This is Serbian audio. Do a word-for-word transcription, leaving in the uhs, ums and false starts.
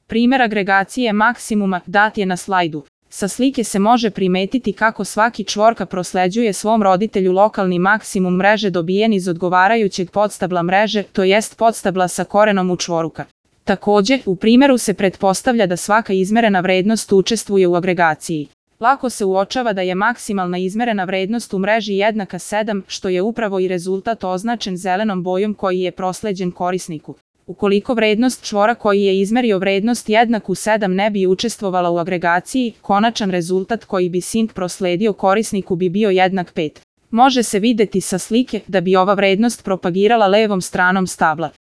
Primer agregacije maksimuma dat je na slajdu. Sa slike se može primetiti kako svaki čvorka prosleđuje svom roditelju lokalni maksimum mreže dobijen iz odgovarajućeg podstabla mreže, to jest podstabla sa korenom u čvoruka. Takođe, u primeru se pretpostavlja da svaka izmerena vrednost učestvuje u agregaciji. Lako se uočava da je maksimalna izmerena vrednost u mreži jednaka sedam, što je upravo i rezultat označen zelenom bojom koji je prosleđen korisniku. Ukoliko vrednost čvora koji je izmerio vrednost jednaku sedam ne bi učestvovala u agregaciji, konačan rezultat koji bi sink prosledio korisniku bi bio jednak pet. Može se videti sa slike da bi ova vrednost propagirala levom stranom stabla.